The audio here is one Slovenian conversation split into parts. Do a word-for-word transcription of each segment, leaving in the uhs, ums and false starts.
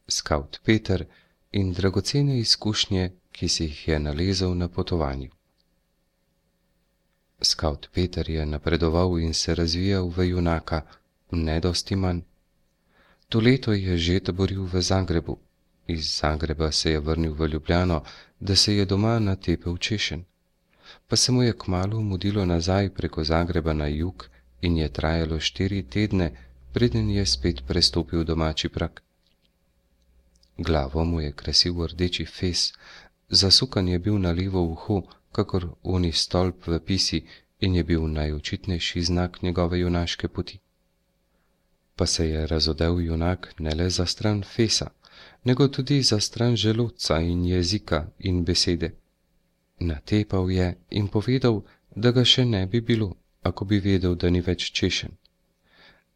skavt Peter in dragocene izkušnje, ki si jih je nalezel na potovanju. Skavt Peter je napredoval in se razvijal v junaka, ne dosti manj. To leto je že taboril v Zagrebu, iz Zagreba se je vrnil v Ljubljano, da se je doma natepel češenj. Pa se mu je kmalu mudilo nazaj preko Zagreba na jug in je trajalo štiri tedne, preden je spet prestopil domači prag. Glavo mu je krasil rdeči fez, zasukan je bil na levo uho, kakor oni stolp v pisi, in je bil najočitnejši znak njegove junaške poti. Pa se je razodel junak ne le za stran fesa, nego tudi za stran želodca in jezika in besede. Natepal je in povedal, da ga še ne bi bilo, ako bi vedel, da ni več češen.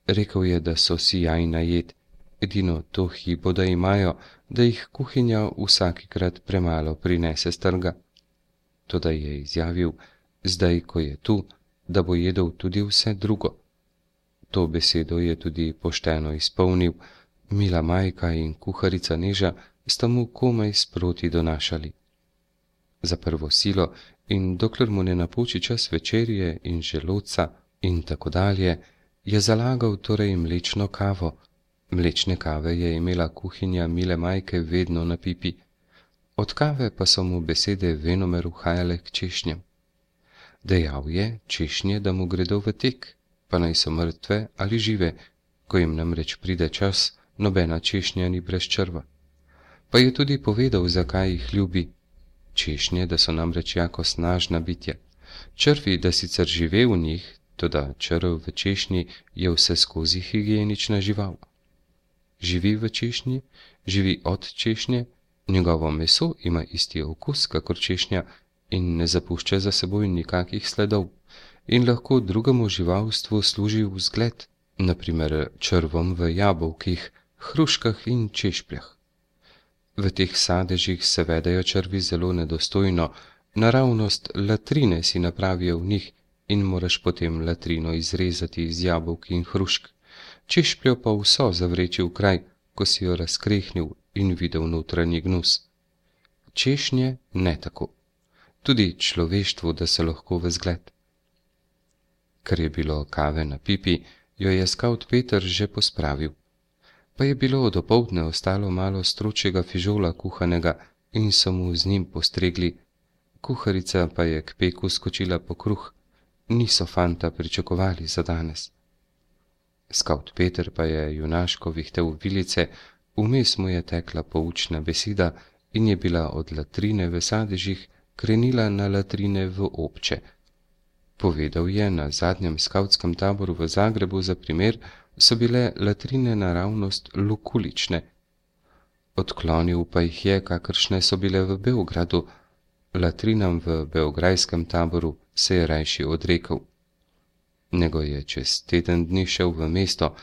Rekel je, da so sijajna jed, edino to hibo, da imajo, da jih kuhinja vsakikrat premalo prinese s trga. Toda je izjavil, zdaj, ko je tu, da bo jedel tudi vse drugo. To besedo je tudi pošteno izpolnil, mila majka in kuharica Neža sta mu komaj sproti donašali. Za prvo silo in dokler mu ne napoči čas večerje in želodca in tako dalje, je zalagal torej mlečno kavo. Mlečne kave je imela kuhinja mile majke vedno na pipi. Od kave pa so mu besede venomer uhajale k češnjem. Dejal je češnje, da mu gredo v tek, pa naj so mrtve ali žive, ko jim namreč pride čas, nobena češnja ni brez črva. Pa je tudi povedal, zakaj jih ljubi. Češnje, da so namreč jako snažna bitja. Črvi, da sicer žive v njih, toda črv v češnji je vse skozi higienična žival. Živi v češnji, živi od češnje, njegovo meso ima isti okus, kakor češnja, in ne zapušča za seboj nikakih sledov, in lahko drugemu živalstvu služi v zgled, naprimer črvom v jabolkih, hruškah in češpljah. V teh sadežih se vedejo črvi zelo nedostojno, naravnost latrine si napravijo v njih in moraš potem latrino izrezati iz jabolk in hrušk, češpljo pa vso zavreči v kraj, ko si jo razkrehnil in videl notranji gnus. Češnje ne tako. Tudi človeštvu, da se lahko v zgled. Ker je bilo kave na pipi, jo je skavt Peter že pospravil. Pa je bilo dopoldne ostalo malo stročjega fižola kuhanega in so mu z njim postregli. Kuharica pa je k peku skočila po kruh, niso fanta pričakovali za danes. Skavt Peter pa je junaško vihtel vilice, vmes mu je tekla poučna beseda in je bila od latrine v sadežih krenila na latrine v obče. Povedal je, na zadnjem skavtskem taboru v Zagrebu za primer so bile latrine naravnost lukulične. Odklonil pa jih je, kakršne so bile v Beogradu. Latrinam v beograjskem taboru se je rajši odrekel. Nego je čez teden dni šel v mesto,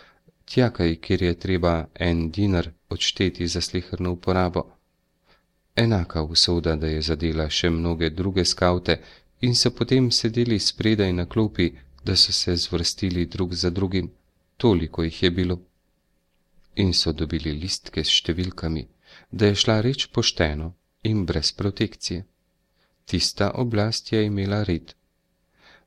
tjakaj, kjer je treba en dinar odšteti za sleherno uporabo. Enaka usoda, da je zadela še mnoge druge skavte in so potem sedeli spredaj na klopi, da so se zvrstili drug za drugim, toliko jih je bilo. In so dobili listke s številkami, da je šla reč pošteno in brez protekcije. Tista oblast je imela red.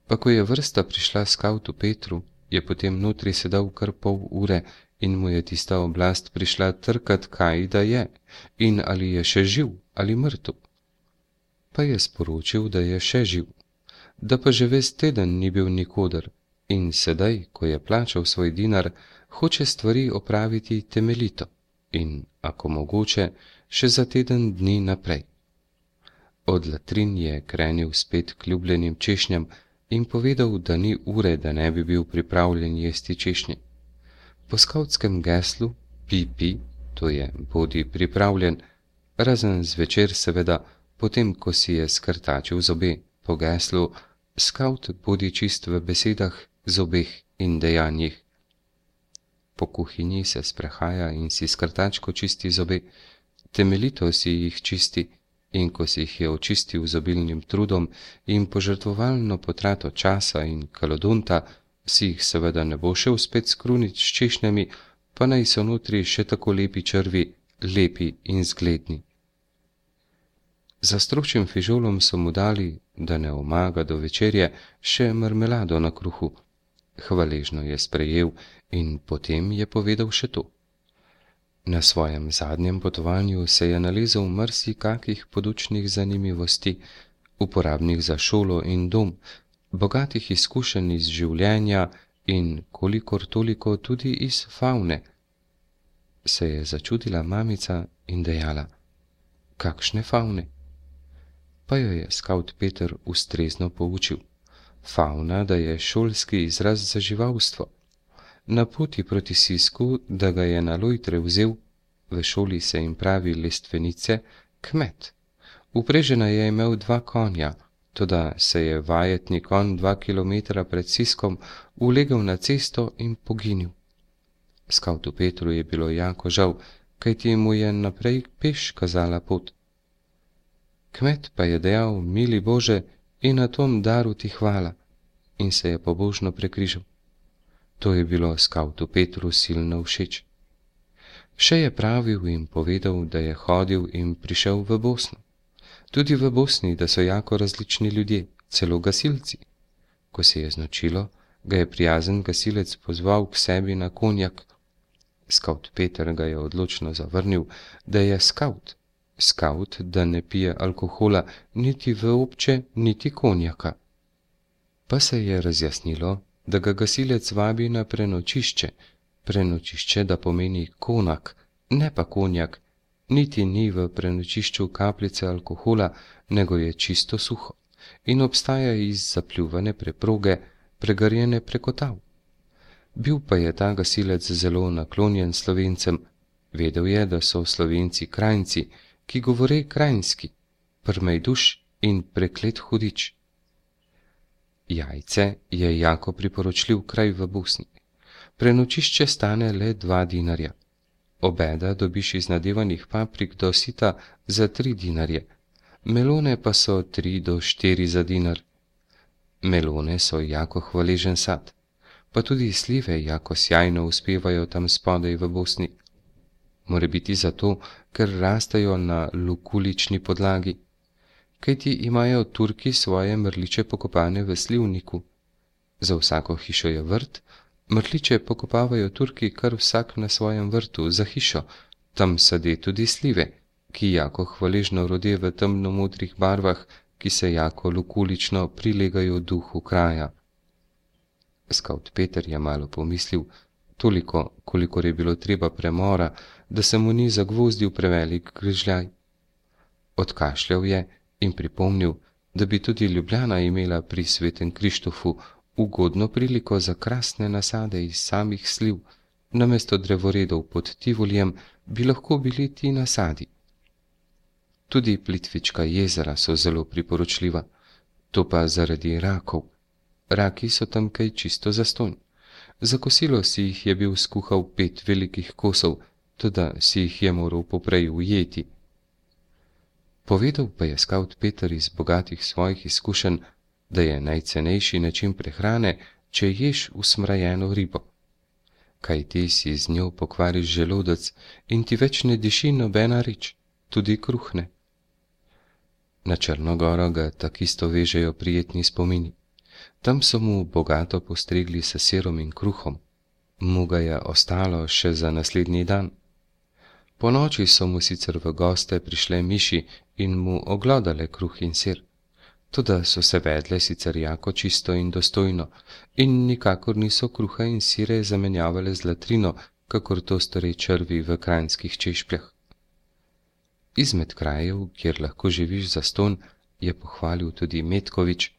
Pa ko je vrsta prišla skavtu Petru, je potem notri sedel kar pol ure in mu je tista oblast prišla trkat, kaj da je in ali je še živ ali mrtev. Pa je sporočil, da je še živ, da pa že ves teden ni bil nikoder in sedaj, ko je plačal svoj dinar, hoče stvari opraviti temeljito in, ako mogoče, še za teden dni naprej. Od latrin je krenil spet k ljubljenim češnjam in povedal, da ni ure, da ne bi bil pripravljen jesti češnje. Po skavtskem geslu pi pi, to je bodi pripravljen, razen zvečer seveda, potem ko si je skrtačil zobe, po geslu skavt bodi čist v besedah, zobeh in dejanjih. Po kuhinji se sprehaja in si skrtačko čisti zobe, temeljito si jih čisti, in ko si jih je očistil z obilnim trudom in požrtvovalno potrato časa in kalodonta, si jih seveda ne bo šel spet skrunit s češnjami, pa naj so notri še tako lepi črvi lepi in zgledni. Za stročim fižolom so mu dali, da ne omaga do večerje, še marmelado na kruhu. Hvaležno je sprejel in potem je povedal še to. Na svojem zadnjem potovanju se je nalezel marsikakih podučnih zanimivosti, uporabnih za šolo in dom, bogatih izkušenj iz življenja in kolikor toliko tudi iz favne. Se je začudila mamica in dejala: kakšne favne? Pa jo je skavt Peter ustrezno poučil. Favna, da je šolski izraz za živalstvo. Na poti proti Sisku, da ga je na lojtre vzel, v šoli se jim pravi lestvenice, kmet. Uprežena je imel dva konja, toda se je vajetni konj dva kilometra pred Siskom ulegel na cesto in poginil. Skavtu Petru je bilo jako žal, kajti mu je naprej peš kazala pot. Kmet pa je dejal: mili Bože, in na tom daru ti hvala, in se je pobožno prekrižal. To je bilo skavtu Petru silno všeč. Še je pravil in povedal, da je hodil in prišel v Bosno. Tudi v Bosni, da so jako različni ljudje, celo gasilci. Ko se je znočilo, ga je prijazen gasilec pozval k sebi na konjak. Skavt Peter ga je odločno zavrnil, da je skavt. Skavt, da ne pije alkohola niti v obče, niti konjaka. Pa se je razjasnilo, da ga gasilec vabi na prenočišče, prenočišče, da pomeni konak, ne pa konjak, niti ni v prenočišču kapljice alkohola, nego je čisto suho in obstaja iz zapljuvane preproge, pregarjene preko tav. Bil pa je ta gasilec zelo naklonjen Slovencem, vedel je, da so Slovenci krajnci, ki govore krajinski, prmejduš in preklet hudič. Jajce je jako priporočljiv kraj v Bosni. Prenočišče stane le dva dinarja. Obeda dobiš iz nadevanih paprik do sita za tri dinarje, melone pa so tri do štiri za dinar. Melone so jako hvaležen sad, pa tudi slive jako sjajno uspevajo tam spodaj v Bosni. More biti zato, ker rastejo na lukulični podlagi, kajti imajo Turki svoje mrliče pokopane v slivniku. Za vsako hišo je vrt, mrliče pokopavajo Turki kar vsak na svojem vrtu za hišo, tam sade tudi slive, ki jako hvaležno rode v temno modrih barvah, ki se jako lukulično prilegajo duhu kraja. Skavt Peter je malo pomislil, toliko, kolikor je bilo treba premora, da se mu ni zagvozdil prevelik grižljaj. Odkašljal je in pripomnil, da bi tudi Ljubljana imela pri Svetem Krištofu ugodno priliko za krasne nasade iz samih sliv, namesto drevoredov pod Tivoljem bi lahko bili ti nasadi. Tudi Plitvička jezera so zelo priporočljiva, to pa zaradi rakov. Raki so tam kaj čisto zastonj. Za kosilo si jih je bil skuhal pet velikih kosov, toda si jih je moral poprej ujeti. Povedal pa je skavt Peter iz bogatih svojih izkušenj, da je najcenejši način prehrane, če ješ usmrajeno ribo. Kaj ti si z njo pokvariš želodec in ti več ne diši nobena reč, tudi kruhne. Na Črnogoro ga takisto vežejo prijetni spomini. Tam so mu bogato postregli s sirom in kruhom. Mu ga je ostalo še za naslednji dan. Po noči so mu sicer v goste prišle miši in mu oglodale kruh in sir. Toda so se vedle sicer jako čisto in dostojno in nikakor niso kruha in sire zamenjavale z latrino, kakor to stori črvi v kranjskih češpljah. Izmed krajev, kjer lahko živiš zastonj, je pohvalil tudi Metkovič.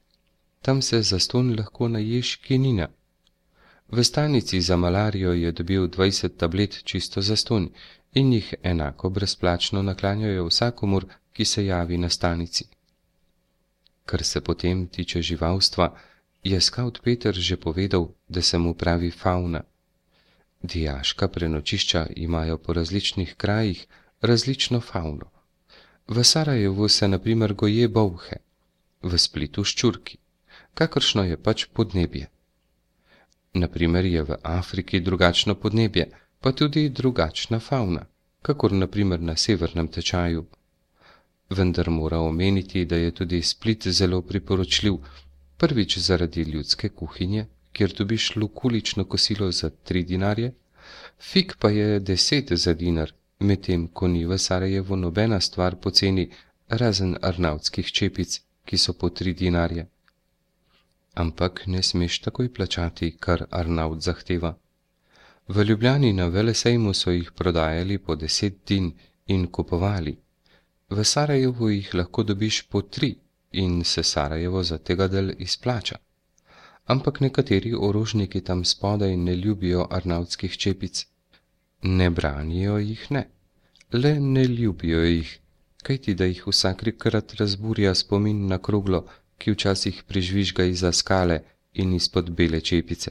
Tam se zastonj lahko naješ kinina. V stanici za malarijo je dobil dvajset tablet čisto zastonj in jih enako brezplačno naklanjajo vsakomur, ki se javi na stanici. Kar se potem tiče živalstva, je skavt Peter že povedal, da se mu pravi favna. Dijaška prenočišča imajo po različnih krajih različno favno. V Sarajevu se na primer goje bolhe, v Splitu ščurki, kakršno je pač podnebje. Na primer je v Afriki drugačno podnebje, pa tudi drugačna favna. kakor naprimer na severnem tečaju. Vendar mora omeniti, da je tudi Split zelo priporočljiv, prvič zaradi ljudske kuhinje, kjer dobiš lukulično kosilo za tri dinarje, fig pa je deset za dinar, medtem ko ni v Sarajevu nobena stvar poceni, razen arnavtskih čepic, ki so po tri dinarje. Ampak ne smeš takoj plačati, kar Arnavt zahteva. V Ljubljani na velesejmu so jih prodajali po deset din in kupovali. V Sarajevu jih lahko dobiš po tri in se Sarajevo za tega del izplača. Ampak nekateri orožniki tam spodaj ne ljubijo arnavtskih čepic. Ne branijo jih ne, le ne ljubijo jih, kajti da jih vsakrat razburja spomin na kroglo, ki včasih prižvižga izza skale in izpod bele čepice.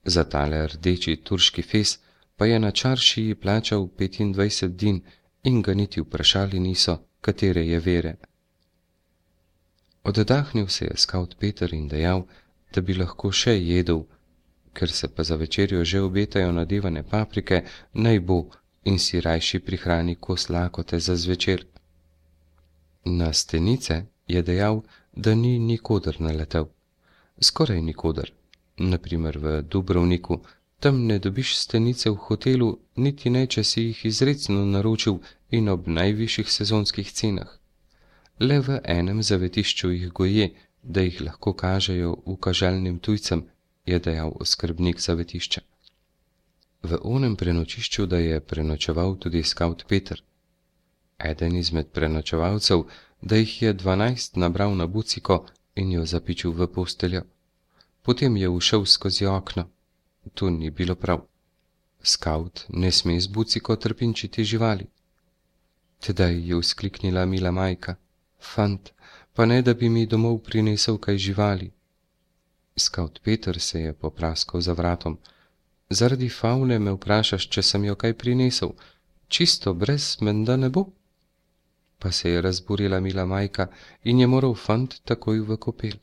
Za tale rdeči turški fez pa je na čaršiji plačal petindvajset din in ga niti vprašali niso, katere je vere. Oddahnil se je skavt Peter in dejal, da bi lahko še jedel, ker se pa za večerjo že obetajo nadevane paprike, naj bo in si rajši prihrani kos lakote za zvečer. Na stenice je dejal, da ni nikoder naletel. Skoraj nikoder. Naprimer v Dubrovniku, tam ne dobiš stenice v hotelu, niti ne, če si jih izrecno naročil in ob najvišjih sezonskih cenah. Le v enem zavetišču jih goje, da jih lahko kažejo ukaželjnim tujcem, je dejal oskrbnik zavetišča. V onem prenočišču, da je prenočeval tudi skavt Peter. Eden izmed prenočevalcev, da jih je dvanajst nabral na buciko in jo zapičil v posteljo. Potem je ušel skozi okno. To ni bilo prav. Skavt ne sme z buciko trpinčiti živali. Tedaj je vzkliknila mila majka. Fant, pa ne, da bi mi domov prinesel kaj živali. Skavt Peter se je popraskal za vratom. Zaradi favne me vprašaš, če sem jo kaj prinesel. Čisto brez menda ne bo. Pa se je razburila mila majka in je moral fant takoj v kopel.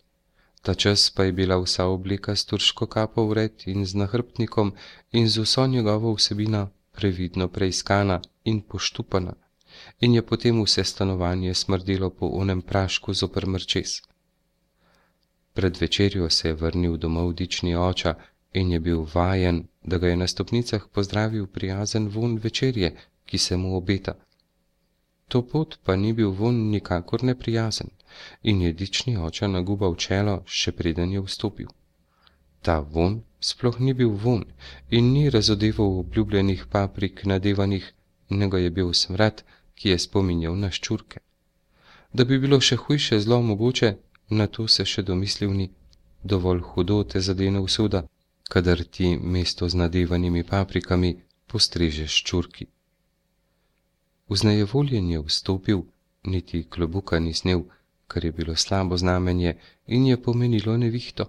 Ta čas pa je bila vsa obleka s turško kapo vred in z nahrbtnikom in z vso njegovo vsebino previdno preiskana in poštupana in je potem vse stanovanje smrdelo po onem prašku zoper mrčes. Pred večerjo se je vrnil domov dični oča in je bil vajen, da ga je na stopnicah pozdravil prijazen vonj večerje, ki se mu obeta. To pot pa ni bil vonj nikakor neprijazen in je dični oča nagubal čelo, še preden je vstopil. Ta vonj sploh ni bil vonj in ni razodeval obljubljenih paprik nadevanih, nego je bil smrad, ki je spominjal na ščurke. Da bi bilo še hujše zlo mogoče, na to se še domislil ni. Dovolj hudo te zadene usoda, kadar ti mesto z nadevanimi paprikami postrežeš ščurki. Vznejevoljen je vstopil, niti klobuka ni snel, kar je bilo slabo znamenje in je pomenilo nevihto.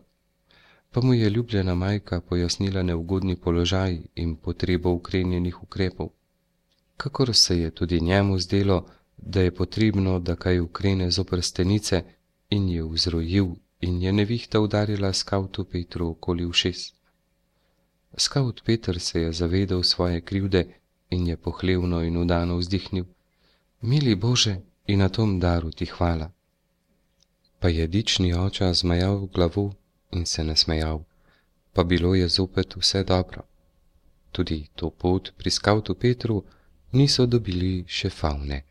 Pa mu je ljubljena majka pojasnila neugodni položaj in potrebo ukrenjenih ukrepov. Kakor se je tudi njemu zdelo, da je potrebno, da kaj ukrene zoper stenice, in je vzrojil in je nevihta udarila skavtu Petru okoli ušes. Skavt Peter se je zavedal svoje krivde in je pohlevno in udano vzdihnil. Mili Bože, in na tom daru ti hvala. Pa je dični oča zmajal glavo in se nasmejal, pa bilo je zopet vse dobro. Tudi to pot pri skavtu Petru niso dobili še favne.